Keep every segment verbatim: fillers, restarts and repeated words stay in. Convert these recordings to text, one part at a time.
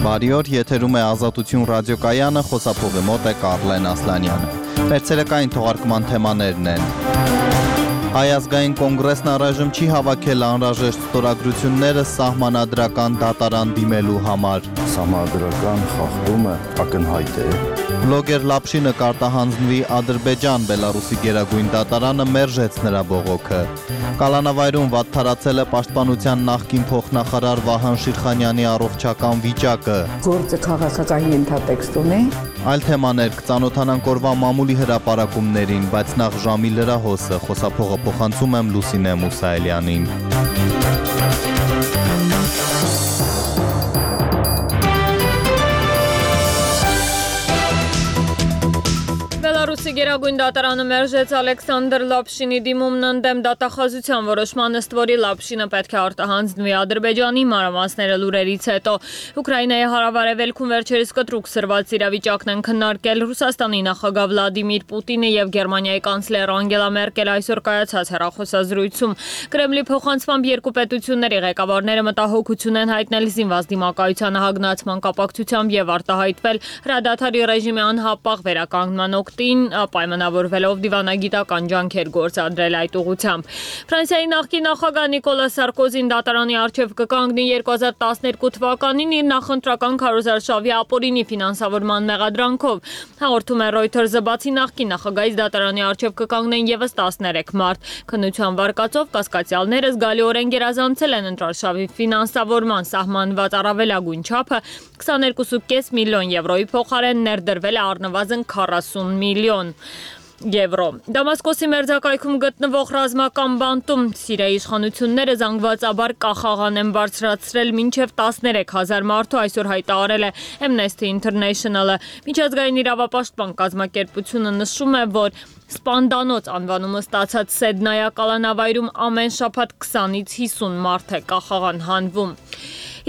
Բարի օր, եթերում է Ազատություն ռադիոկայանը, խոսափողի մոտ է Կարլեն Ասլանյանը։ Վերցերեկային թողարկման թեմաներն են. Հայ ազգային կոնգրեսն առայժմ չի հավաքել անհրաժեշտ ստորագրությունները սահմանադրական դատարան դիմելու համար։ Սահմանադրական խախտումը ակնհայտ է։ Բլոգեր Լապշինը կարտահանձնվի Ադրբեջան, Բելարուսի գերագույն դատարանը մերժեց նրա բողոքը։ Կալանավայրում վատթարացել է պաշտպանության նախկին փոխնախարար Վահան Շիրխանյանի առողջական վիճակը։ Գործը քաղաքական ենթատեքստ ունի։ Այլ թեմաներ կծանոթանանք օրվա մամուլի հրապարակումներին, բայց նախ ժամի լրահոսը, խոսափողը փոխանցում եմ Լուսինե Մուսայելյանին։ Բելարուսի գերագույն դատարանը մերժեց Ալեքսանդր Լապշինի դիմումն ընդդեմ դատախազության որոշման, ըստ որի Լապշինը պետք է արտահանձնվի Ադրբեջանի, մանրամասները լուրերից հետո։ Ուկրաինայի հարավարևելքում վերջերս կտրուկ սրված իրավիճակն են քննարկել Ռուսաստանի նախագահ Վլադիմիր Պուտինը եւ Գերմանիայի կանցլեր Անգելա Մերկելը այսօր կայացած հեռախոսազրույցում։ Կրեմլի փոխանցմամբ երկու պետությունների ղեկավարները մտահոգություն են հայտնել զինված դիմակայությանը հագնացման կապակցությամբ եւ արտահայտվել հրադադարի ռեժիմի անհապաղ վերականգնման օգտին, պայմանավորվելով դիվանագիտական ջանքեր գործադրել այդ ուղղությամբ։ Ֆրանսիայի նախկին նախագահ Նիկոլա Սարկոզին դատարանի առջև կկանգնի երկու հազար տասներկու թվականին իր նախընտրական քարոզարշավի ապօրինի ֆինանսավորման մեղադրանքով։ Հաղորդում է Reuters-ը, բացի նախկին նախագահից դատարանի առջև կկանգնեն եւս տասներեք մարդ։ Քննության վարկածով կասկածյալները զգալիորեն գերազանցել են ընտրարշավի ֆինանսավորման սահմանված առավելագույն չափը քսաներկու կόμμα պենս միլիոն եվրոյի փոխարեն ներդրվել է առնվազն քառասուն միլիոն եվրո։ Դամասկոսի մերձակայքում գտնվող ռազմական բանտում Սիրիայի իշխանությունները զանգվածաբար կախաղան են բարձրացրել մինչև տասներեք հազար մարդու, այսօր հայտարարել է Amnesty International-ը։ Միջազգային իրավապաշտպան կազմակերպությունը նշում է, որ Սպանդանոց անվանումը ստացած Սեդնայա կալանավայրում ամեն շաբաթ քսանից հիսուն մարդ է կախաղան հանվում։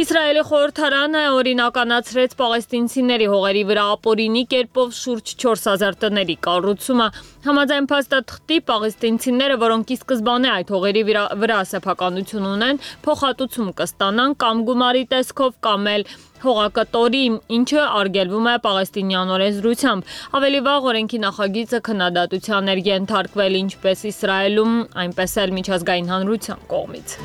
Իսրայելի խորհրդարանը օրինականացրեց պաղեստինցիների հողերի վրա ապօրինի կերպով շուրջ չորս հազար տների կառուցումը։ Համաձայն փաստաթղթի պաղեստինցիները, որոնք ի սկզբանե այդ հողերի վրա սեփականություն ունեն, փոխհատուցում կստանան կամ գումարի տեսքով կամ էլ հողակտորի, ինչը արգելվում է պաղեստինյան օրենսդրությամբ։ Ավելի վաղ օրենքի նախագիծը քննադատության էր ենթարկվել ինչպես Իսրայելում, այնպես էլ միջազգային հանրության կողմից։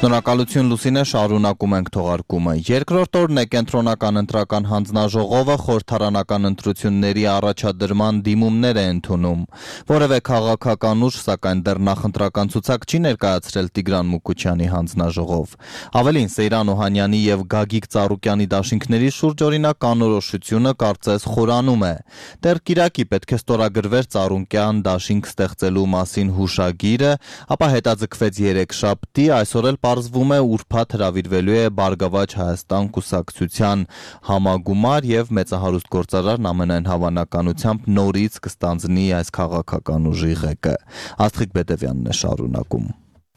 Շնորհակալություն Լուսինե, շարունակում ենք թողարկումը։ Երկրորդ օրն է կենտրոնական ընտրական հանձնաժողովը խորհրդարանական ընտրությունների առաջադրման դիմումներ է ընդունում։ Որևէ քաղաքական ուժ, սակայն դեռ նախընտրական ցուցակ չի ներկայացրել Տիգրան Մուկուչյանի հանձնաժողով։ Ավելին, Սեյրան Օհանյանի եւ Գագիկ Ծառուկյանի դաշինքների շուրջ օրինակ անորոշությունը կարծես խորանում է։ Դեռ Կիրակի պետք է ստորագրվեր Ծառուկյան դաշինք ստեղծելու մասին հուշագիրը, ապա հետաձգվեց երեքշաբթի, այսօր էլ պարզվում է ուրբաթ հրավիրվելու է Բարգավաճ Հայաստան կուսակցության համագումար եւ մեծահարուստ գործարարն ամենայն հավանականությամբ նորից կստանձնի այս քաղաքական ուժի ղեկը։ Աստղիկ Բետևյանն է շարունակում։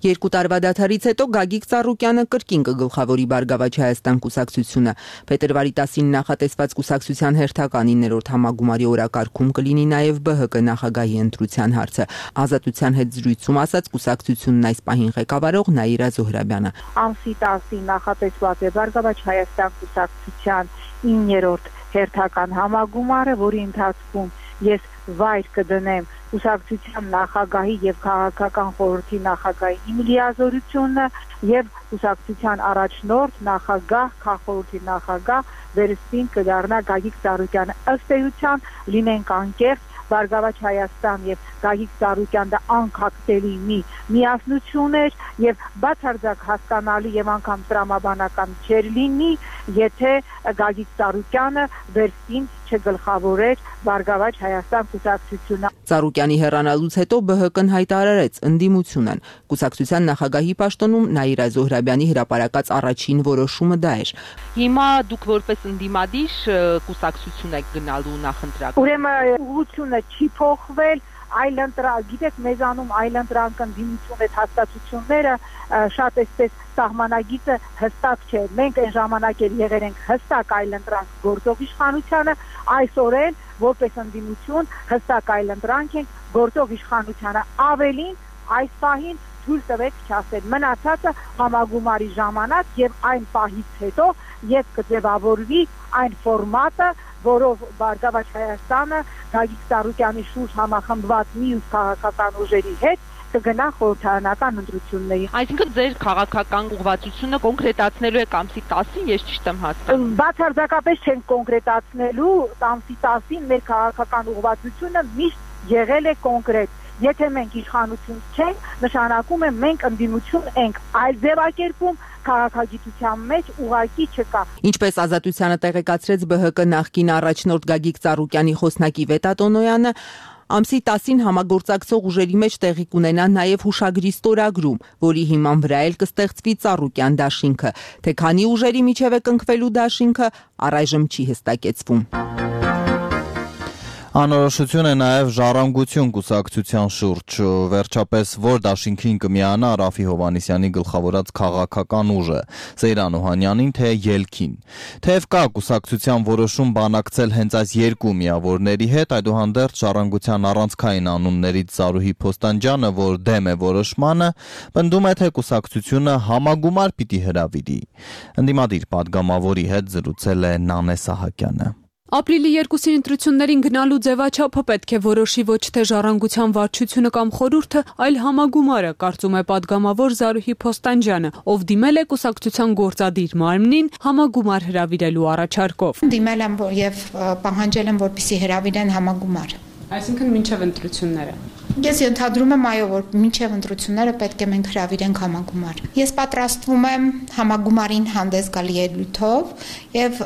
Երկու տարվա դադարից հետո Գագիկ Ծառուկյանը կրկին կգլխավորի Բարգավաճ Հայաստան կուսակցությունը։ Փետրվարի տասին նախատեսված կուսակցության հերթական իններորդ համագումարի օրակարգում կլինի նաև Բ Հ Կ նախագահի ընտրության հարցը։ Ազատության հետ զրույցում ասաց կուսակցությունն այս պահին ղեկավարող Նաիրա Զոհրաբյանը։ Ամսի տասին նախատեսված է Բարգավաճ Հայաստան կուսակցության իններորդ հերթական համագումարը, որի ընթացքում ես վայր կդնեմ կուսակցության նախագահի եւ քաղաքական խորհրդի նախագահի իմ լիազորությունը եւ կուսակցության առաջնորդ նախագահ, քաղաքախորհրդի նախագահ վերստին կդառնա Գագիկ Ծառուկյանը։ Ըստ էության լինենք անկեղծ, Բարգավաճ Հայաստան եւ Գագիկ Ծառուկյան դա անկախտելի մի միասնություն էր եւ բացարձակ հասկանալի եւ անգամ տրամաբանական չէր լինի, եթե Գագիկ Ծառուկյանը վերստին չգլխավորեր Բարգավաճ Հայաստան կուսակցությունը։ Ծառուկյանի հեռանալուց հետո Բ Հ Կ-ն հայտարարեց ընդդիմություն են։ Կուսակցության նախագահի պաշտոնում Նաիրա Զոհրաբյանի հրապարակած առաջին որոշումը դա էր։ Հիմա դուք որպես ընդդիմադիր կուսակցություն եք գնալու նախընտրական։ Ուրեմն ուղղությունը չի փոխվել, այլընտրանք, գիտեք, մեզանում այլընտրանք ընդդիմություն այդ հաստատությունները շատ էսպես սահմանագիծը հստակ չէ։ Մենք այն ժամանակ էլ եղել ենք հստակ այլընտրանք գործող իշխանությանը, այսօր էլ որպես ընդդիմություն հստակ այլընտրանք ենք գործող իշխանությանը։ Ավելին այս պահին թույլ տվեք չասել, մնացածը համագումարի ժամանակ եւ այն պահից հետո երբ կձևավորվի այն ֆորմատը, որով Բարգավաճ Հայաստանը Գագիկ Ծառուկյանի շուրջ համախմբված մյուս քաղաքական ուժերի հետ կգնա խորհրդարանական ընտրությունների։ Այսինքն ձեր քաղաքական ուղղվածությունը կոնկրետացնելու եք ամսի տասին, ես ճիշտ եմ հասկանում։ Բացարձակապես չենք կոնկրետացնելու, ամսի տասին մեր քաղաքական ուղղվածությունը միշտ եղել է կոնկրետ։ Եթե մենք իշխանություն չենք, նշանակում է մենք ընդդիմություն ենք, այլ ձևակերպում քաղաքագիտության մեջ ուղղակի չկա։ Ինչպես Ազատությանը տեղեկացրեց Բ Հ Կ նախկին առաջնորդ Գագիկ Ծառուկյանի խոսնակի Վետա Տոնոյանը, ամսի տասին համագործակցող ուժերի մեջ տեղի կունենա նաև հուշագրի ստորագրում, որի հիման վրա էլ կստեղծվի Ծառուկյան դաշինքը, թե քանի ուժերի միջև է կնքվելու դաշինքը, առայժմ չի հստակեցվում։ Անորոշություն է նաև Ժառանգություն կուսակցության շուրջ, վերջապես որ դաշինքին կմիանա Ռաֆի Հովհաննիսյանի գլխավորած քաղաքական ուժը, Սեյրան Օհանյանին, թե ելքին։ Թեև կա կուսակցության որոշում բանակցել հենց այս երկու միավորների հետ, այդուհանդերձ Ժառանգության առանցքային անուններից Զարուհի Փոստանջյանը, որ դեմ է որոշմանը, պնդում է, թե կուսակցությունը համագումար պիտի հրավիրի։ Ընդդիմադիր падգամավորի հետ զրուցել է Նանե Սահակյանը։ Ապրիլի երկուսին ընտրություններին գնալու ձևաչափը պետք է որոշի ոչ թե Ժառանգության վարչությունը կամ խորհուրդը, այլ համագումարը, կարծում է падգամավոր Զարուհի Փոստանջյանը, ով դիմել է կուսակցության գործադիր մարմնին համագումար հրավիրելու առաջարկով։ Դիմել եմ եւ պահանջել եմ, որպեսզի հրավիրեն համագումար։ Այսինքն մինչև ընտրությունները։ Ես ենթադրում եմ, այո, որ մինչև ընտրությունները պետք է մենք հրավիրենք համագումար։ Ես պատրաստվում եմ համագումարին հանդես գալ ելույթով եւ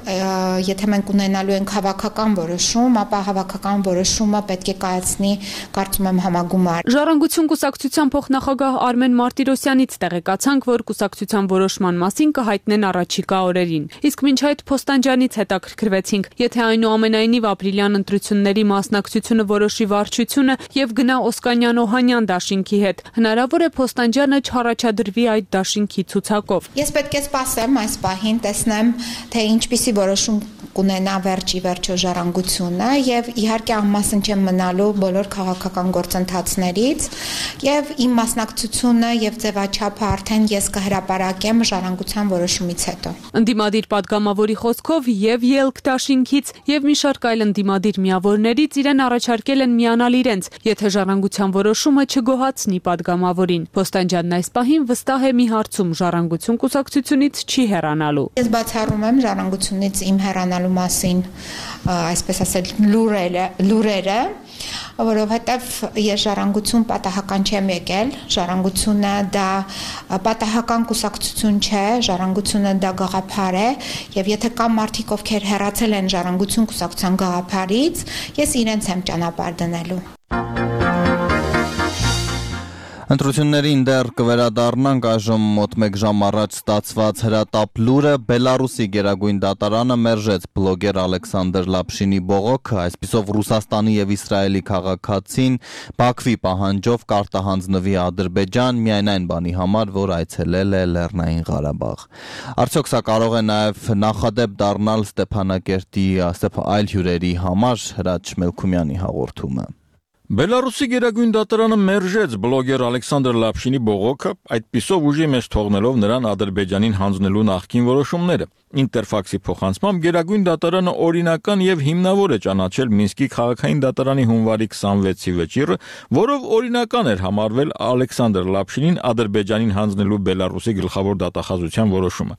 եթե մենք ունենալու ենք հավաքական որոշում, ապա հավաքական որոշումը պետք է կայացնի, կարծում եմ, համագումար։ Ժառանգություն կուսակցության փոխնախագահ Արմեն Մարտիրոսյանից տեղեկացանք, որ կուսակցության որոշման մասին կհայտնեն առաջիկա օրերին։ Իսկ մինչ այդ Փոստանջյանից հետաքրքրվեցինք, եթե այնուամենայնիվ ապրիլյան ընտրությունների մասնակցությունը որոշի վարչությունը եւ գնա Օսկանյան-Օհանյան դաշինքի հետ, հնարավոր է Փոստանջյանը չառաջադրվի այդ դաշինքի ցուցակով։ Ես պետք է սպասեմ այս պահին, տեսնեմ, թե ինչպիսի որոշում կունենա վերջի վերջո Ժառանգությունը եւ իհարկե անմասն չեմ մնալու բոլոր քաղաքական գործընթացներից եւ իմ մասնակցությունը եւ ձևաչափը արդեն ես կհրապարակեմ Ժառանգության որոշումից հետո։ Ընդդիմադիր падգամավորի խոսքով եւ ելք դաշինքից եւ մի շարք այլ ընդդիմադիր միավորներից իրեն առաջարկել են միանալ իրենց, եթե Ժառանգության որոշումը չգոհացնի падգամավորին։ Փոստանջյանն այս պահին վստահ է մի հարցում Ժառանգություն կուսակցությունից չի հեռանալու։ Ես բացառում եմ Ժառանգությունից իմ հեռանալու մասին, այսպես ասել, լուրերը, լուրերը, որովհետև ես Ժառանգություն պատահական չեմ եկել, Ժառանգությունը դա պատահական կուսակցություն չէ, Ժառանգությունը դա գաղափար է, եւ եթե կա մարդիկ, ովքեր հեռացել են Ժառանգություն կուսակցության գաղափարից, ես իրենց եմ ճանապարհ դնելու։ Ընտրություններին դեռ կվերադառնանք, այժմ մոտ մեկ ժամ առաջ ստացված հրատապ լուրը Բելարուսի գերագույն դատարանը մերժեց բլոգեր Ալեքսանդր Լապշինի բողոքը, այսպիսով Ռուսաստանի եւ Իսրայելի քաղաքացին Բաքվի պահանջով կարտահանձնվի Ադրբեջան միայն այն բանի համար, որ այցելել է Լեռնային Ղարաբաղ։ Արդյոք սա կարող է նաեւ նախադեպ դառնալ Ստեփանակերտի այլ հյուրերի համար, Հրաչ Մելքումյանի հաղորդումը։ Բելարուսի գերագույն դատարանը մերժեց բլոգեր Ալեքսանդր Լապշինի բողոքը, այդպիսով ուժի մեջ թողնելով նրան Ադրբեջանին հանձնելու նախկին որոշումները։ Ինտերֆաքսի փոխանցմամբ գերագույն դատարանը օրինական եւ հիմնավոր է ճանաչել Մինսկի քաղաքային դատարանի հունվարի քսանվեցի վճիռը, որով օրինական էր համարվել Ալեքսանդր Լապշինին Ադրբեջանին հանձնելու Բելարուսի գլխավոր դատախազության որոշումը։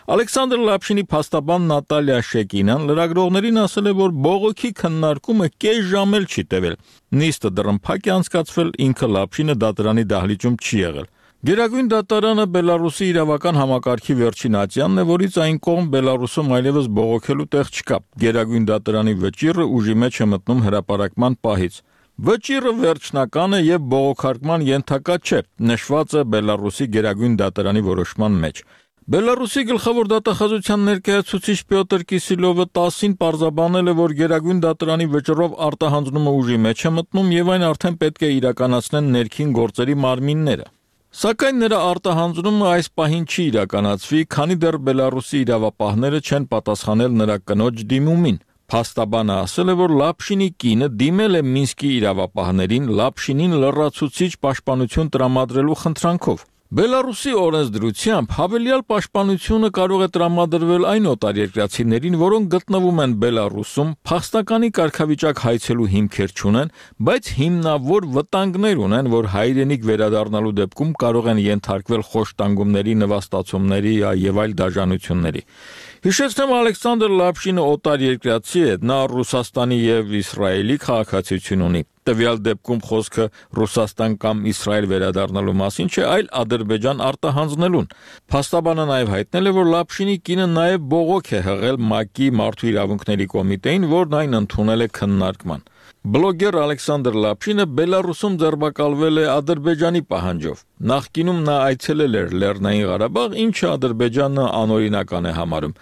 Ալեքսանդր Լապշինի փաստաբան Նատալիա Շեկինան լրագրողներին ասել է, որ բողոքի քննարկումը կես ժամ էլ չի տևել։ Նիստը դռնփակ է անցկացվել, ինքը Լապշինը դատարանի դահլիճում չի եղել։ Գերագույն դատարանը Բելարուսի իրավական համակարգի վերջին ատյանն է, որից այն կողմ Բելարուսում այլևս բողոքելու տեղ չկա։ Գերագույն դատարանի վճիռը ուժի մեջ է մտնում հրապարակման պահից։ Վճիռը վերջնական է եւ բողոքարկման ենթակա չէ, նշված է Բելարուսի գերագույն դատարանի որոշման մեջ։ Բելարուսի գլխավոր դատախազության ներկայացուցիչ Պյոտր Կիսիլովը տասին պարզաբանել է, որ Գերագույն դատարանի վճռով արտահանձնումը ուժի մեջ է մտնում եւ այն արդեն պետք է իրականացնեն ներքին գործերի մարմինները։ Սակայն նրա արտահանձնումը այս պահին չի իրականացվի, քանի դեռ Բելարուսի իրավապահները չեն պատասխանել նրա կնոջ դիմումին։ Փաստաբանը ասել է, որ Լապշինի կինը դիմել է Մինսկի իրավապահներին Լապշինին լրացուցիչ պաշտպանություն տրամադրելու խնդրանքով։ Բելարուսի օրենսդրությամբ հավելյալ պաշտպանությունը կարող է տրամադրվել այն օտարերկրացիներին, որոնք գտնվում են Բելարուսում, փախստականի կարգավիճակ հայցելու հիմքեր չունեն, բայց հիմնավոր վտանգներ ունեն, որ հայրենիք վերադառնալու դեպքում կարող են ենթարկվել խոշտանգումների, նվաստացումների եւ այլ դաժանությունների։ Հիշեցնեմ, Ալեքսանդր Լապշինը օտարերկրացի է, նա Ռուսաստանի եւ Իսրայելի քաղաքացիություն ունի։ Տվյալ դեպքում խոսքը Ռուսաստան կամ Իսրայել վերադառնալու մասին չէ, այլ Ադրբեջան արտահանձնելուն։ Փաստաբանը նաև հայտնել է, որ Լապշինի կինը նաև բողոք է հղել ՄԱԿ-ի Մարդու իրավունքների կոմիտեին, որն այն ընդունել է քննարկման։ Բլոգեր Ալեքսանդր Լապշինը Բելարուսում ձերբակալվել է Ադրբեջանի պահանջով։ Նախկինում նա այցելել էր Լեռնային Ղարաբաղ, ինչը Ադրբեջանը անօրինական է համարում։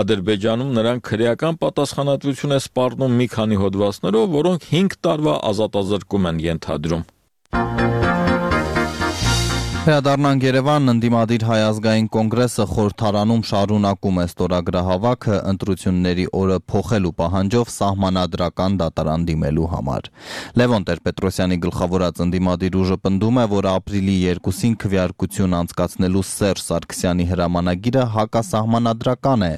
Ադրբեջանում նրան քրեական պատասխանատվություն է սպառնում մի քանի հոդվածներով, որոնք հինգ տարվա ազատազրկում են ենթադրում։ Վերադառնանք Երևան, ընդդիմադիր Հայ ազգային կոնգրեսը խորհրդարանում շարունակում է ստորագրահավաքը ընտրությունների օրը փոխելու պահանջով սահմանադրական դատարան դիմելու համար։ Լևոն Տեր-Պետրոսյանի գլխավորած ընդդիմադիր ուժը պնդում է, որ ապրիլի երկուսին քվեարկություն անցկացնելու Սերժ Սարգսյանի հրամանագիրը հակասահմանադրական է։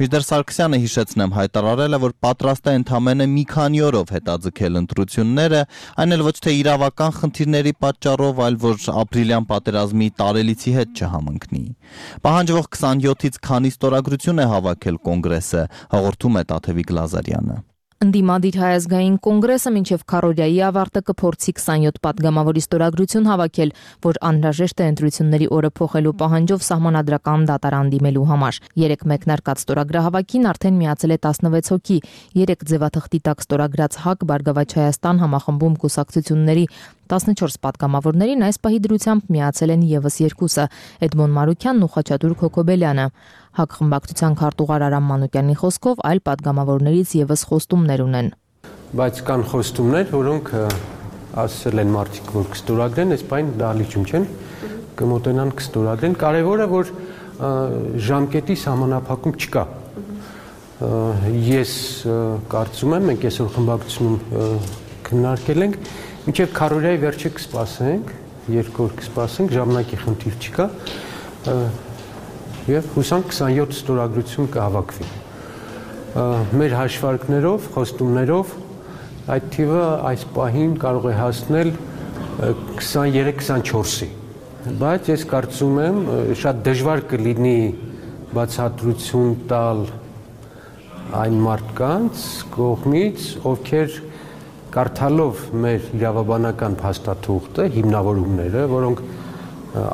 Մինչդեռ Սարգսյանը, հիշեցնեմ, հայտարարել է, որ պատրաստ է ընդամենը մի քանի օրով հետաձգել ընտրությունները, այն էլ ոչ թե իրավական խնդիրների պատճառով, այլ որ ապրիլյան պատերազմի տարելիցի հետ չհամընկնի։ Պահանջվող քսանյոթից քանի ստորագրություն է հավաքել կոնգրեսը, հաղորդում է Տաթևիկ Լազարյանը։ Ընդդիմադիր Հայ ազգային կոնգրեսը մինչև քառօրյայի ավարտը կփորձի քսանյոթ պատգամավորի ստորագրություն հավաքել, որ անհրաժեշտ է ընտրությունների օրը փոխելու պահանջով սահմանադրական դատարան դիմելու համար։ Երեք մեկնարկած ստորագրահավաքին արդեն միացել է տասնվեց հոգի, երեք ձևաթղթի տակ ստորագրած ՀԱԿ Բարգավաճ Հայաստան համախմբում կուսակցությունների տասնչորս պատգամավորներին այս պահի դրությամբ միացել են եւս երկուսը՝ Էդմոն Մարուքյանն ու Խաչատուր Քոքոբելյանը։ ՀԱԿ խմբակցության քարտուղար Արամ Մանուկյանի խոսքով այլ պատգամավորներից եւս խոստումներ ունեն։ Բայց կան խոստումներ, որոնք ասել են մարդիկ, որ կստորագրեն, այս բան դալիճում չեն, կմոտենան կստորագրեն։ Կարևորը որ ժամկետի սահմանափակում չկա։ Ես կարծում եմ, մենք այսօր խմբակցությունում քննարկել ենք, մինչև քառօրյայի վերջը կսպասենք, երկու օր կսպասենք, ժամանակի խնդիր չկա, եւ հուսանք քսանյոթ ստորագրություն կհավաքվի։ Մեր հաշվարկներով, խոստումներով այդ թիվը այս պահին կարող է հասնել քսաներեք քսանչորսի։ Բայց ես կարծում եմ, շատ դժվար կլինի բացատրություն տալ այն մարդկանց կողմից, ովքեր կարդալով մեր իրավաբանական փաստաթուղթը, հիմնավորումները, որոնք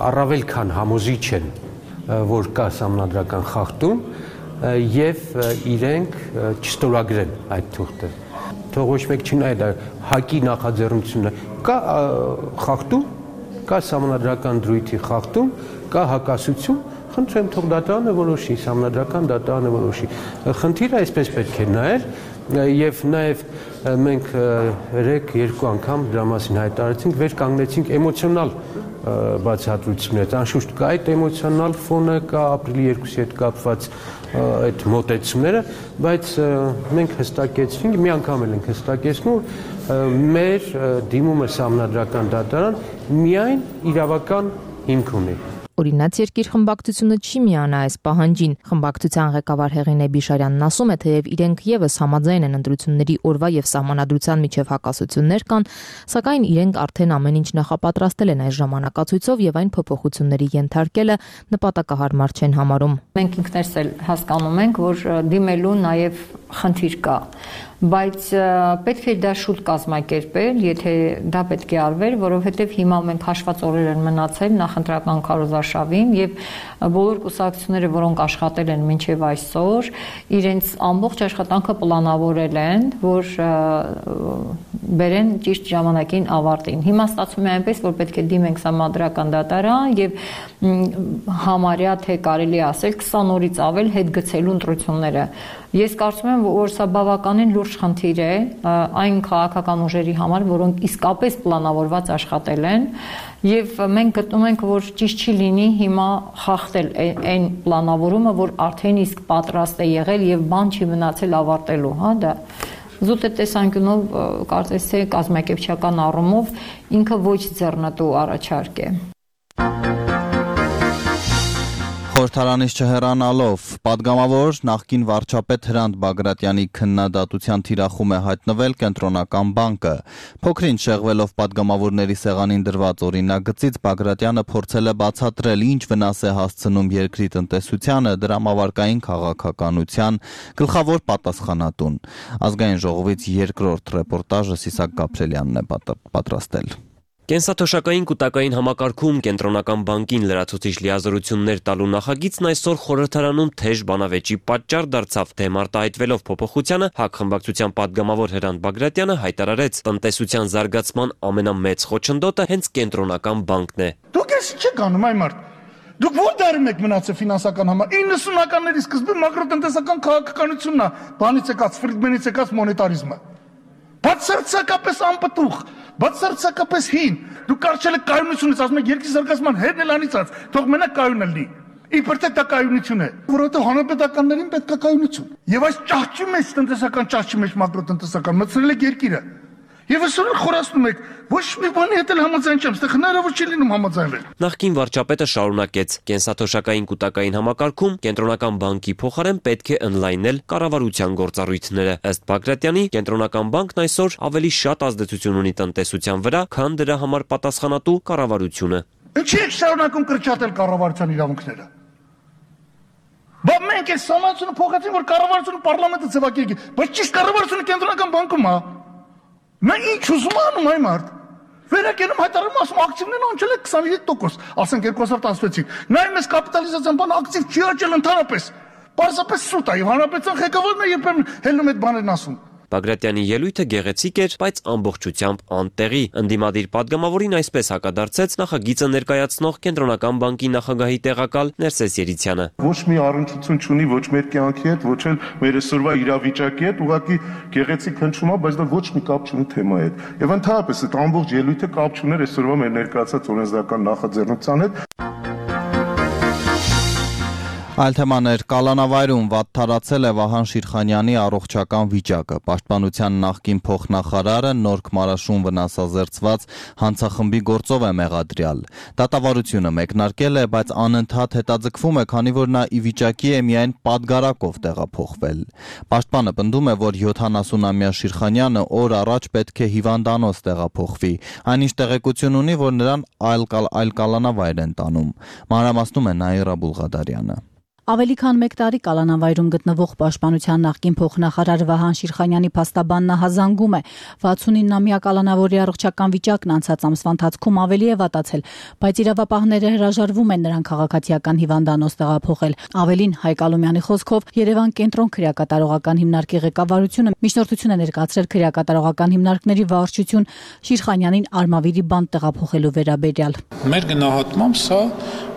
առավել քան համոզիչ են, որ կա սահմանադրական խախտում եւ իրենք չստորագրեն այդ թուղթը։ Թող ոչ մեկ չնայ դա ՀԱԿ-ի նախաձեռնությունը, կա խախտում, կա սահմանադրական դրույթի խախտում, կա հակասություն, խնդրեմ թող դատարանը որոշի, սահմանադրական դատարանը որոշի։ Խնդիրը այսպես պետք է նայել եւ նաեւ մենք երեք երկու անգամ դրա մասին հայտարարեցինք, վեր կանգնեցինք էմոցիոնալ բացատրություններ, անշուշտ կա այդ էմոցիոնալ ֆոնը, կա ապրիլի երկուսի հետ կապված այդ մոտեցումները, բայց մենք հստակեցինք, մի անգամ էլ ենք հստակեցնում, մեր դիմումը սահմանադրական դատարան միայն իրավական հիմք ունի։ Օրինաց երկիր խմբակցությունը չի միանա այս պահանջին։ Խմբակցության ղեկավար Հեղինե Բիշարյանն ասում է, թեև իրենք եւս համաձայն են ընտրությունների օրվա եւ սահմանադրության միջև հակասություններ կան, սակայն իրենք արդեն ամեն ինչ նախապատրաստել են այս ժամանակացույցով եւ այն փոփոխությունների ենթարկելը նպատակահարմար չեն համարում։ Մենք ինքներս էլ հասկանում ենք, որ դիմելու նաեւ խնդիր կա, բայց պետք է դա շուտ կազմակերպել, եթե դա պետք է արվեր, որովհետև հիմա մենք հաշված օրեր են մնացել նախընտրական քարոզարշավին եւ բոլոր կուսակցությունները, որոնք աշխատել են մինչեւ այսօր, իրենց ամբողջ աշխատանքը պլանավորել են, որ բերեն ճիշտ ժամանակին ավարտին։ Հիմա ստացվում է այնպես, որ պետք է դիմենք համադրական դատարան եւ համարյա թե կարելի ասել քսան օրից ավել հետ գցելու ընտրությունները։ Ես կարծում եմ, որ սա բավականին լուրջ խնդիր է այն քաղաքական ուժերի համար, որոնք իսկապես պլանավորված աշխատել են, եւ մենք գտնում ենք, որ ճիշտ չի լինի հիմա խախտել այն պլանավորումը, որ արդեն իսկ պատրաստ է եղել եւ բան չի մնացել ավարտելու, հա, դա զուտ է տեսանկյունով կարծես թե կազմակերպչական առումով ինքը ոչ ձեռնտու առաջարկ է։ Խորհրդարանից չհեռանալով падգամավոր նախկին վարչապետ Հրանտ Բագրատյանի քննադատության թիրախում է հայտնվել Կենտրոնական բանկը։ Փոքրինչ շեղվելով падգամավորների սեղանին դրված օրինագծից Բագրատյանը փորձել է բացատրել, ինչ վնաս է հասցնում երկրի տնտեսությանը, դրամավարկային քաղաքականության գլխավոր պատասխանատուն։ Ազգային ժողովից երկրորդ ռեպորտաժը Սիսակ Գաբրելյանն է պատրաստել։ Կենսաթոշակային կൂട്ടակային համակարգում Կենտրոնական բանկին լրացուցիչ լիազորություններ տալու նախագիծն այսօր խորհրդարանում թեժ բանավեճի պատճառ դարձավ, թե մարտահայտվելով փոփոխությանը ՀԱԿ խմբակցության падգամավոր Հրանտ Բագրատյանը հայտարարեց, տնտեսության զարգացման ամենամեծ խոչընդոտը հենց Կենտրոնական բանկն է։ Դուք ես չեք անում այ մարդ։ Դուք ո՞ր դարում եք մնացել ֆինանսական համար։ իննսունականների սկզբում մակրոտնտեսական քաղաքականությունն է, բանից եկած Ֆրիդմենից եկած մոնետարիզմը։ Բացարձակապես անպտուղ, բացարձակապես հին։ Դու կարճել եք կայունությունից, ասում եք երկրի զարգացման հետն էլ անիծած, թող մենակ կայուն լինի։ Իբր թե դա կայունություն է, որովհետև հանրապետականներին պետք է կայունություն։ Եվ այս ճահճի մեջ տնտեսական ճահճի մեջ մակրոտնտեսական մտցրել եք երկիրը։ Եվ այսօր խորացնում եք, ոչ մի բանի հետ էլ համաձայն չեմ, ստեղ հնարավոր չի լինում համաձայնվել։ Նախկին վարչապետը շարունակեց. կենսաթոշակային կൂട്ടակային համակարգում Կենտրոնական բանկի փոխարեն պետք է ընդլայնել կառավարության գործառույթները։ Ըստ Բագրատյանի, Կենտրոնական բանկն այսօր ավելի շատ ազդեցություն ունի տնտեսության վրա, քան դրա համար պատասխանատու կառավարությունը։ Ինչի՞ եք շարունակում կրճատել կառավարության իրավունքները։ Բա մենք այս համացությունը փոխեցին, որ կառավարությունը պարլամենտը ձևակերպի, բայց ճիշտ կառավարությունը Կենտրոնական բանկում է։ Նա ինչ ուզում անում այ մարդ։ Վերակենում հայտարարում ասում ակտիվներն անջել է քսանհինգ տոկոս, ասենք երկու հազար տասնվեցին։ Նայում ես կապիտալիզացիան բան ակտիվ չի աճել ընդհանրապես։ Պարզապես սուտ է, եւ հանրապետության ղեկավարն է երբեմն հելնում այդ բաներն ասում։ Բագրատյանի ելույթը գեղեցիկ էր, բայց ամբողջությամբ անտեղի։ Ընդդիմադիր падգամավորին այսպես հակադարձեց նախագիծը ներկայացնող Կենտրոնական բանկի նախագահի տեղակալ Ներսես Երիցյանը։ Ոչ մի առնչություն չունի ոչ մեր կյանքի հետ, ոչ էլ մեր այսօրվա իրավիճակի հետ, ուղղակի գեղեցիկ հնչում է, բայց դա ոչ մի կապ չունի թեմայի հետ։ Եվ ընդհանրապես այդ ամբողջ ելույթը կապ չուներ այսօրվա մեր ներկայացած օրենսդրական նախաձեռնության հետ։ Այլ թեմաներ Կալանավայրում վատթարացել է Վահան Շիրխանյանի առողջական վիճակը։ Պաշտպանության նախկին փոխնախարարը Նորք Մարաշուն վնասազերծված հանցախմբի գործով է մեղադրյալ։ Դատավարությունը մեկնարկել է, բայց անընդհատ հետաձգվում է, քանի որ նա ի վիճակի է միայն պատգարակով տեղափոխվել։ Պաշտպանը պնդում է, որ յոթանասունամյա Շիրխանյանը օր առաջ պետք է հիվանդանոց տեղափոխվի, այնինչ տեղեկություն ունի, որ նրան այլ, այլ Կալանավայր են տանում։ Մանրամասնում է Նաիրա Բուլղադարյանը։ Ավելի քան մեկ տարի Կալանավայրում գտնվող Պաշտպանության նախկին փոխնախարար Վահան Շիրխանյանի փաստաբանն հազանգում է վաթսունինամյա կալանավորի առողջական վիճակն անցած ամսվա ընթացքում ավելի է վատացել, բայց իրավապահները հրաժարվում են նրան քաղաքացիական հիվանդանոց տեղափոխել։ Ավելին, Հայկ Ալոմյանի խոսքով Երևան կենտրոն քրեակատարողական հիմնարկի ղեկավարությունը միջնորդություն է ներկայացրել քրեակատարողական հիմնարկների վարչություն Շիրխանյանին Արմավիրի բանտ տեղափոխելու վերաբերյալ։ Մեր գնահատմամբ սա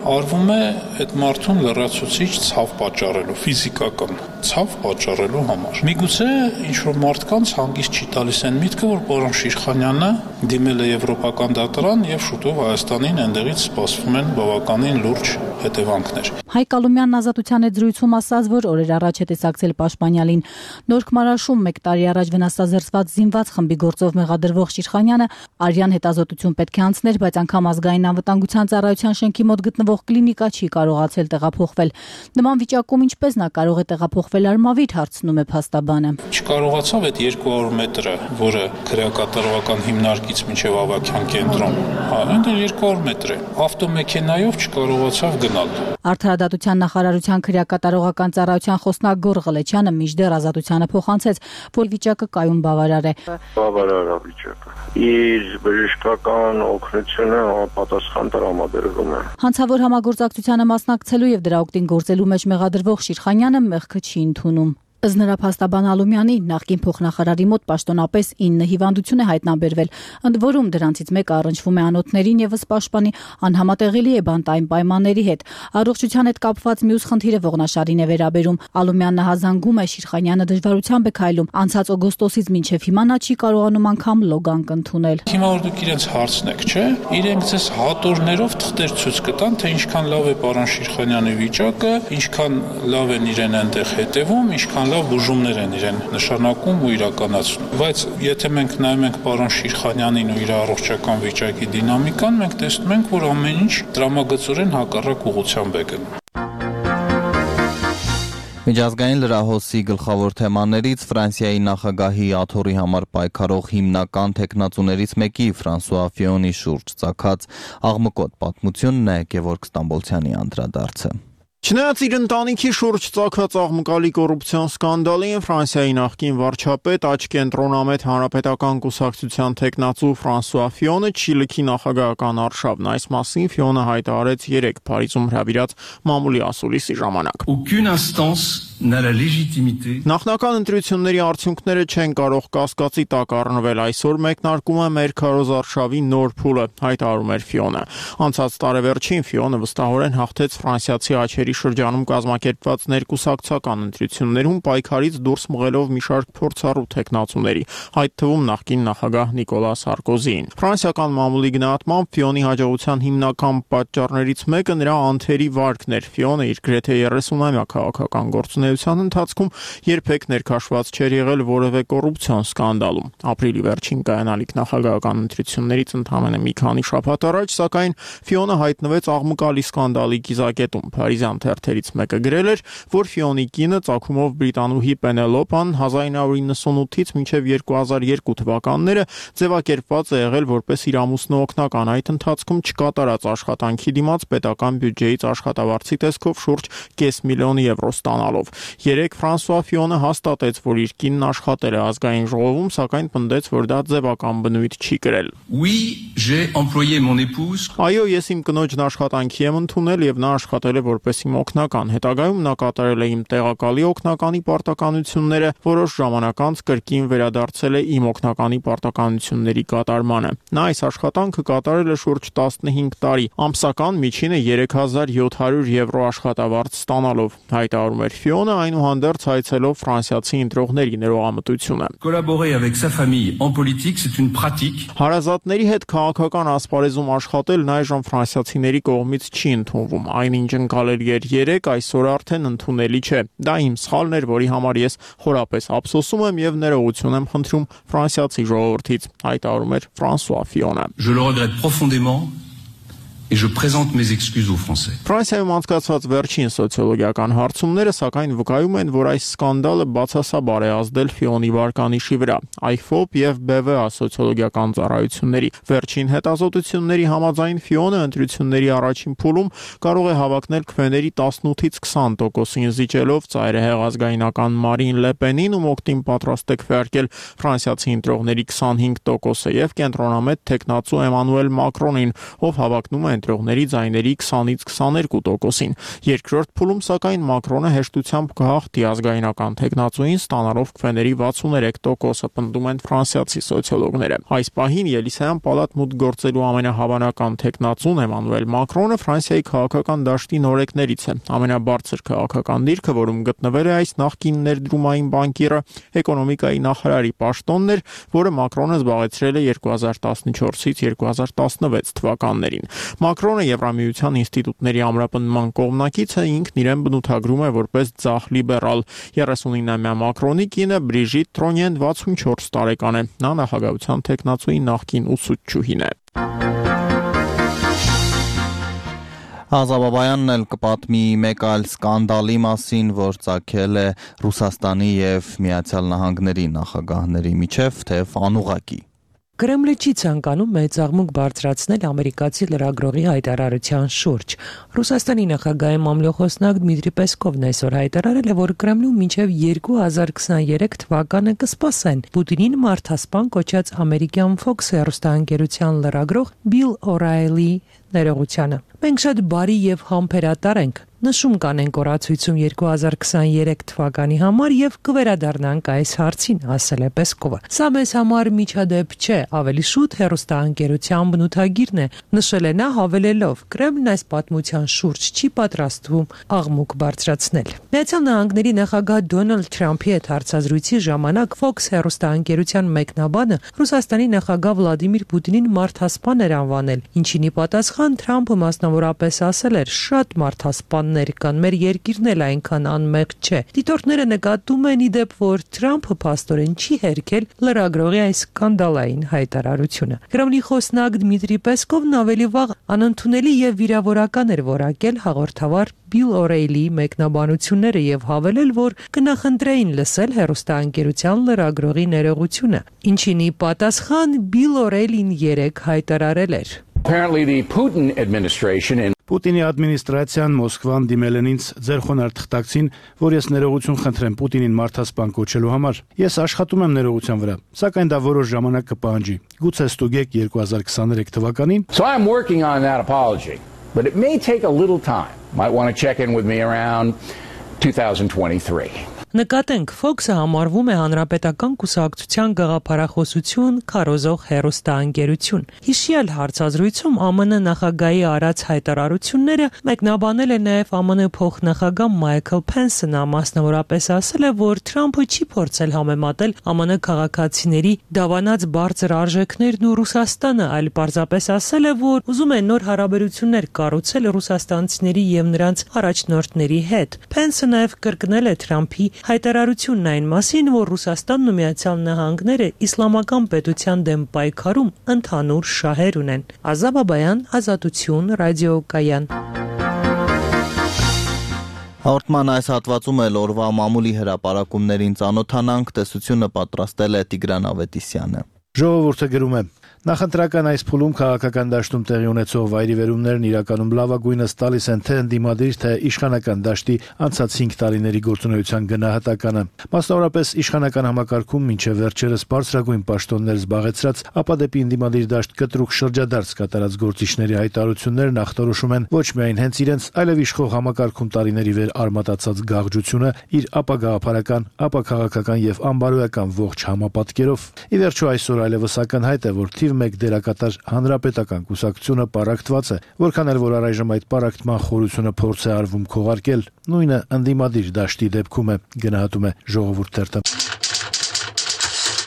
արվում է այդ մարդուն լրացուցիչ ցավ պատճառելու, ֆիզիկական ցավ պատճառելու համար։ Միգուցե ինչ-որ մարդկանց հանգիստ չի տալիս այն միտքը, որ պարոն Շիրխանյանը դիմել է Եվրոպական դատարան եւ շուտով Հայաստանին այնտեղից սպասվում են բավականին լուրջ հետևանքներ։ Հայկ Ալոմյանն Ազատության հետ զրույցում ասաց, որ օրեր առաջ է տեսակցել Պաշտպանյալին։ Նորք Մարաշում մեկ տարի առաջ վնասազերծված զինված խմբի գործով մեղադրվող Շիրխանյանը արյան հետազոտություն պետք է անցներ, բայց անգամ ազգային անվտանգության ծառայության շենքի մոտ գտնվող կլինիկա չի կարողացել տեղափոխվել։ Նման վիճակում ինչպես նա կարող է տեղափոխվել Արմավիր, հարցնում է փաստաբանը։ Չկարողացավ այդ երկու հարյուր մետրը, որը քրեակատարողական հիմնարկից մինչև Ավագյան կենտրոն, հա, այնտեղ երկու հարյուր մետր է։ Ավտոմեքենայով չկարողացավ գնալ։ Արդարադատության նախարարության քրեակատարողական ծառայության խոսնագոր Ղլեչյանը մինչդեռ Ազատությանը փոխանցեց, որ վիճակը կայուն բավարար է։ Բավարար է վիճակը։ Իր բժշկական օգնությունը պատասխան տրամադրվում է։ Հանցավոր համագործակցությանը մասնակցելու եւ դրա օգտին գործելու մեջ մեղադրվող Շիրխանյանը մեղքը չի ընդունում։ Ըստ նրա փաստաբան Ալումյանի նախկին փոխնախարարի մոտ պաշտոնապես ինը հիվանդություն է հայտնաբերվել, ընդ որում դրանցից մեկը առնչվում է անոթներին եւս պաշտպանի անհամատեղելի է բանտային պայմանների հետ։ Առողջության հետ կապված մյուս խնդիրը Ողնաշարին է վերաբերում։ Ալումյանն հազանգում է Շիրխանյանը դժվարությամբ է քայլում։ Անցած օգոստոսից մինչև հիմա նա չի կարողանում անգամ լոգանք ընդունել։ Հիմա որ դուք իրենց հարցնեք, չէ՞, իրենք ձեզ հատորներով թղթեր ցույց կտան, թե ինչքան լավ է պարոն Շիրխանյանի վիճակը, ինչքան լավ են իրեն այնտեղ հետևում, ինչքան լավ բուժումներ են իրեն նշանակում ու իրականացնում։ Բայց եթե մենք նայում ենք պարոն Շիրխանյանին ու իր առողջական վիճակի դինամիկան, մենք տեսնում ենք, որ ամեն ինչ տրամագծորեն հակառակ ուղղությամբ է գնում։ Միջազգային լրահոսի գլխավոր թեմաներից Ֆրանսիայի նախագահի աթոռի համար պայքարող հիմնական թեկնածուներից մեկի Ֆրանսուଆ Ֆիոնի շուրջ ծագած աղմկոտ պատմությունն է Գևորգ Ստամբոլցյանի անդրադարձը։ Չնայած իր ընտանիքի շուրջ ծագած աղմկալի կոռուպցիոն սկանդալին, Ֆրանսիայի նախկին վարչապետ, աջ կենտրոնամետ Հանրապետական կուսակցության թեկնածու Ֆրանսուଆ Ֆիոնը չի լքի նախագահական արշավն։ Այս մասին Ֆիոնը հայտարարեց երեկ Փարիզում հրավիրած մամուլի ասուլիսի ժամանակ։ Նախնական ընտրությունների արդյունքները չեն կարող կասկածի տակ առնվել։ Այսօր մեկնարկում է մեր քարոզարշավի նոր փուլը, հայտարարում էր Ֆիոնը։ Անցած տարեվերջին Ֆիոնը վստահորեն հաղթեց ֆրանսիացի աչերի շրջանում կազմակերպված ներկուսակցական ընտրություններում պայքարից դուրս մղելով մի շարք փորձառու թեկնածուների, այդ թվում նախկին նախագահ Նիկոլա Սարկոզիին։ Ֆրանսիական մամուլի գնահատմամբ Ֆիոնի հաջողության հիմնական պատճառներից մեկը նրա անթերի վարկն էր։ Ֆիոնը իր գրեթե երեսունամյա քաղաքական գործունեության ընթացքում երբեք ներքաշված չէր եղել որևէ կոռուպցիոն սկանդալում։ Ապրիլի վերջին կայանալիք նախագահական ընտրություններից ընդամենը մի քանի շաբաթ առաջ, սակայն Ֆիոնը հայտնվեց աղմկալի սկանդալի կիզակետում։ Փարիզյան թերթերից մեկը գրել էր, որ Ֆիոնի կինը ծագումով բրիտանուհի Պենելոպան հազար նույն հարյուր նվաթից մինչև երկու հազար երկու թվականները ձևակերպված է եղել որպես իր ամուսնու օգնական, այդ ընթացքում չկատարած աշխատանքի դիմաց պետական բյուջեից աշխատավարձի տեսքով շուրջ կես միլիոն եվրո ստանալով։ Երեկ Ֆրանսուଆ Ֆիոնը հաստատեց, որ իր կինն աշխատել է ազգային ժողովում, սակայն պնդեց, որ դա ձևական բնույթ չի կրել։ Այո, ես իմ կնոջն աշխատանքի եմ ընդունել եւ նա աշխատել է որպես իմ օգնական։ Հետագայում նա կատարել է իմ տեղակալի օգնականի պարտականությունները, որոշ ժամանակ անց կրկին վերադարձել է իմ օգնականի պարտականությունների կատարմանը։ Նա այս աշխատանքը կատարել է շուրջ տասնհինգ տարի, ամսական միջինը երեք հազար յոթ հարյուր եվրո աշխատավարձ ստանալով, հայտարարում էր Ֆիոնը, այնուհանդերձ հայցելով ֆրանսիացի ընտրողների ներողամտությունը։ Հարազատների հետ քաղաքական ասպարեզում աշխատելն այժմ ֆրանսիացիների կողմից չի ընդունվում։ Այնինչ ընկալել էր երեք, այսօր արդեն ընդունելի չէ։ Դա իմ սխալն էր, որի համար ես խորապես ափսոսում եմ եւ ներողություն եմ խնդրում ֆրանսիացի ժողովրդից, հայտարարում էր Ֆրանսուଆ Ֆիոնը։ Je le regrette profondément. Et je présente mes excuses aux Français. Ֆրանսիայում անցկացված վերջին սոցիոլոգիական հարցումները սակայն վկայում են, որ այս սկանդալը բացասաբար է ազդել Ֆիոնի վարկանիշի վրա։ Այֆոպ եւ բի վի ա սոցիոլոգիական ծառայությունների վերջին հետազոտությունների համաձայն Ֆիոնը ընտրությունների առաջին փուլում կարող է հավակնել քվեների տասնութից քսան տոկոսին, զիջելով ծայրահեղ ազգայնական Մարին Լե Պենին, ում օգտին պատրաստ է քվեարկել ֆրանսիացի ընտրողների քսանհինգ տոկոսը, եւ կենտրոնամետ թեկնածու Էմանուել Մակրոնին, ով հավակնում է ընտրողների ձայների քսանից քսաներկու տոկոսին։ Երկրորդ փուլում սակայն Մակրոնը հեշտությամբ կհաղթի ազգայնական թեկնածուին, ստանալով քվեների վաթսուններեք տոկոսը, պնդում են ֆրանսիացի սոցիոլոգները։ Այս պահին Ելիսեյան պալատ մուտք գործելու ամենահավանական թեկնածուն Էմանուել Մակրոնը Ֆրանսիայի քաղաքական դաշտի նորեկներից է։ Ամենաբարձր քաղաքական դիրքը, որում գտնվել է այս նախկին ներդրումային բանկիրը, էկոնոմիկայի նախարարի պաշտոնն էր, որը Մակրոնը զբաղեցրել է երկու հազար տասնչորսից երկու հազար տասնվեց թվականներին։ Մակրոնը Եվրամիության ինստիտուտների ամրապնդման կողմնակից է, ինքն իրեն բնութագրում է որպես ձախ լիբերալ։ երեսունինամյա Մակրոնի կինը Բրիժիտ Տրոնյեն վաթսունչորս տարեկան է։ Նա նախագահության թեկնածուի նախկին ուսուցչուհին է։ Ազաբաբայանն էլ կպատմի մեկ այլ սկանդալի մասին, որ ծագել է Ռուսաստանի եւ Միացյալ Նահանգների նախագահների միջև, թեև անուղղակի։ Կրեմլը չի ցանկանում մեծ աղմուկ բարձրացնել ամերիկացի լրագրողի հայտարարության շուրջ։ Ռուսաստանի նախագահի մամլոխոսնակ Դմիտրի Պեսկովն այսօր հայտարարել է, որ Կրեմլում մինչև երկու հազար քսաներեք թվականը կսպասեն Պուտինին մարդասպան կոչած ամերիկյան Fox հեռուստաընկերության լրագրող Բիլ Օ'Րայլի ներողությանը։ Մենք շատ բարի եւ համբերատար ենք, նշում կանենք օրացույցում երկու հազար քսաներեք թվականի համար եւ կվերադառնանք այս հարցին, ասել է Պեսկովը։ Սա մեզ համար միջադեպ չէ, ավելի շուտ հեռուստաընկերության բնութագիրն է, նշել է նա հավելելով. Կրեմլն այս պատմության շուրջ չի պատրաստվում աղմուկ բարձրացնել։ Միացյալ Նահանգների նախագահ Դոնալդ Թրամփի հետ հարցազրույցի ժամանակ Fox հեռուստաընկերության մեկնաբանը Ռուսաստանի նախագահ Վլադիմիր Պուտինին մարդասպան էր անվանել, ինչին ի պատասխան Թրամփը մասնավորապես ասել էր. շատ մարդասպաններ կան, մեր երկիրն էլ այնքան անմեղ չէ։ Դիտորդները նկատում են ի դեպ, որ Թրամփը փաստորեն չի հերքել լրագրողի այս սկանդալային հայտարարությունը։ Կրեմլի խոսնակ Դմիտրի Պեսկովն ավելի վաղ անընդունելի եւ վիրավորական էր որակել հաղորդավար Բիլ Օ'Րայլի մեկնաբանությունները եւ հավելել, որ կնախընտրեին լսել հեռուստաընկերության լրագրողի ներողությունը, ինչին ի պատասխան Բիլ Օ'Րայլին երեկ հայտարարել էր. Apparently the Putin administration and Պուտինի ադմինիստրացիան Մոսկվան դիմել են ինձ ձեր խոնարհ թղթակցին, որ ես ներողություն խնդրեմ Պուտինին մարդասպան կոչելու համար։ Ես աշխատում եմ ներողության վրա, սակայն դա որոշ ժամանակ կպահանջի։ Գուցե ստուգեք երկու հազար քսաներեք թվականին։ So I'm working on that apology, but it may take a little time. Might want to check in with me around twenty twenty-three. Նկատենք, Fox-ը համարվում է հանրապետական կուսակցության գաղափարախոսություն քարոզող հեռուստաընկերություն։ Հիշյալ հարցազրույցում ԱՄՆ նախագահի արած հայտարարությունները մեկնաբանել է նաև ԱՄՆ փոխնախագահ Մայքլ Փենսը, նա մասնավորապես ասել է, որ Թրամփը չի փորձել համեմատել ԱՄՆ քաղաքացիների դավանած բարձր արժեքներն ու Ռուսաստանը, այլ պարզապես ասել է, որ ուզում է նոր հարաբերություններ կառուցել ռուսաստանցիների եւ նրանց առաջնորդների հետ։ Փենսը նաև կրկնել է Թրամփի հայտարարությունն այն մասին, որ Ռուսաստանն ու Միացյալ Նահանգները իսլամական պետության դեմ պայքարում ընդհանուր շահեր ունեն։ Ազատ Բաբայան, Ազատություն, ռադիոկայան։ Հաղորդման այս հատվածում էլ օրվա մամուլի հրապարակումներին ծանոթանանք, տեսությունը պատրաստել է Տիգրան Ավետիսյանը։ Ժողովուրդը գրում է. Նախընտրական այս փուլում քաղաքական դաշտում տեղի ունեցող վայրիվերումներն իրականում լավագույնս տալիս են թե ընդդիմադիր, թե իշխանական դաշտի անցած հինգ տարիների գործունեության գնահատականը։ Մասնավորապես իշխանական համակարգում մինչև վերջերս բարձրագույն պաշտոններ զբաղեցրած, ապա դեպի ընդդիմադիր դաշտ կտրուկ շրջադարձ կատարած գործիչների հայտարարություններն ախտորոշում են ոչ միայն հենց իրենց, այլև իշխող համակարգում տարիների վեր արմատացած գաղջությունը իր ապագաղափարական, ապա քաղաքական եւ անբարոյական ողջ համապատկերով։ Ի վերջո այսօր այլևս ակնհայտ է, որ թիվ մեկ դերակատար հանրապետական կուսակցությունը պարակտված է, որքան էլ որ առայժմ այդ պարակտման խորությունը փորձ է արվում քողարկել, նույնը ընդդիմադիր դաշտի դեպքում է, գնահատում է Ժողովուրդ թերթը։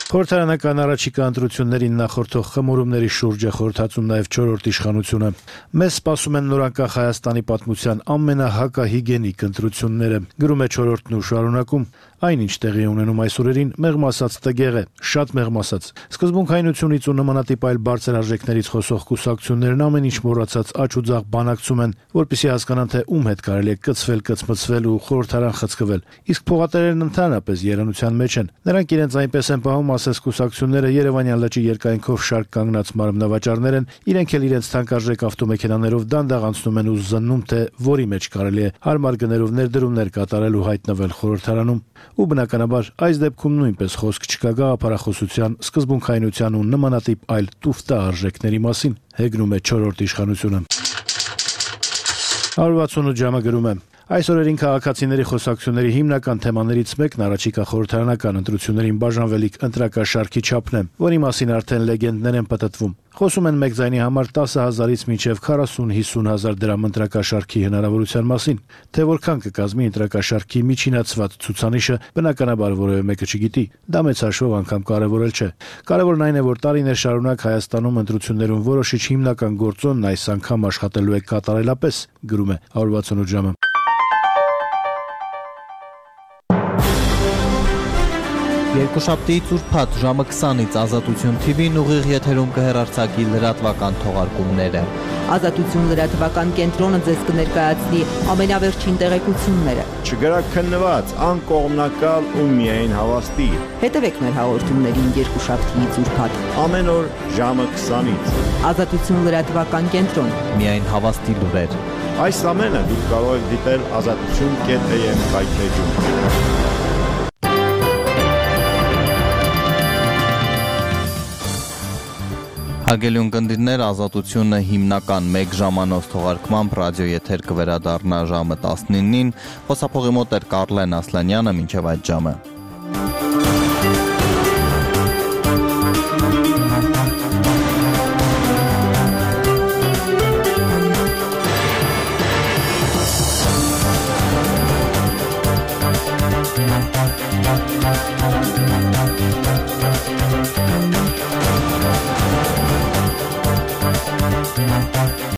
Խորհրդարանական առաջիկա ընտրություններին նախորդող խմորումների շուրջ է խորհրդածում նաև չորրորդ իշխանությունը։ Մեզ սպասում են նորանկախ Հայաստանի պատմության ամենահակահիգենիկ ընտրությունները, գրում է չորրորդն ու շարունակում։ Այնինչ տեղի ունենում այս օրերին մեղմ ասած տգեղ է, շատ մեղմ ասած։ Սկզբունքայնությունից ու նմանատիպ այլ բարձր արժեքներից խոսող կուսակցություններն ամեն ինչ մոռացած աճ ու ձախ բանակցում են, որպեսզի հասկանան, թե ում հետ կարելի է կծվել, կծմծվել ու խորհրդարան խցկվել։ Իսկ փողատերերն ընդհանրապես երանության մեջ են։ Նրանք իրենց այնպես են պահում, ասես կուսակցությունները Երևանյան լճի երկայնքով շարք կանգնած մարմնավաճառներ են, իրենք էլ իրենց թանկարժեք ավտոմեքենաներով դանդաղ անցնում են ու զննում, թե որի մեջ կարելի է հարմար գներով ներդրումներ կատարել ու հայտնվել խորհրդարանում։ Ու բնականաբար այս դեպքում նույնպես խոսք չկա գաղափարախոսության, սկզբունքայնության ու նմանատիպ այլ տուֆտա արժեքների մասին, հեգնում է չորրորդ իշխանությունը։ հարյուր վաթսունութ ժամը գրում է. Այս օրերին քաղաքացիների խոսակցությունների հիմնական թեմաներից մեկն առաջիկա խորհրդարանական ընտրություններին բաժանվելիք ընտրակաշարքի չափն է, որի մասին արդեն լեգենդներ են պտտվում։ Խոսում են մեկ ձայնի համար տասը հազարից մինչև քառասուն-հիսուն հազար դրամ ընտրակաշարքի հնարավորության մասին, թե որքան կկազմի ընտրակաշարքի միջինացված ցուցանիշը, բնականաբար որևէ մեկը չգիտի։ Դա մեծ հաշվով անգամ կարևորել չէ։ Կարևորն այն է, որ տարիներ շարունակ Հայաստանում ընտրություններում որոշիչ հիմնական գործոնն այս անգամ աշխատելու է կատարելապես, գրում է հարյուր վաթսունութ ժամը։ Երկուշաբթիից ուրբաթ ժամը քսանից Ազատություն Թի Վին ուղիղ եթերում կհեռարձակի լրատվական թողարկումները։ Ազատություն լրատվական կենտրոնը ձեզ կներկայացնի ամենավերջին տեղեկությունները։ Չգրաքննված, անկողմնակալ ու միայն հավաստի։ Հետևեք մեր հաղորդումներին երկուշաբթիից ուրբաթ ամեն օր ժամը քսանից։ Ազատություն լրատվական կենտրոն։ Միայն հավաստի լուրեր։ Այս ամենը դուք կարող եք դիտել ազատություն կետ էյ էմ հայթեջում։ Հարգելի ունկնդիրներ, Ազատությունը հիմնական մեկ ժամանոց թողարկմամբ ռադիոեթեր կվերադառնա ժամը տասնինին։ Խոսափողի մոտ էր Կարլեն Ասլանյանը, մինչև այդ ժամը։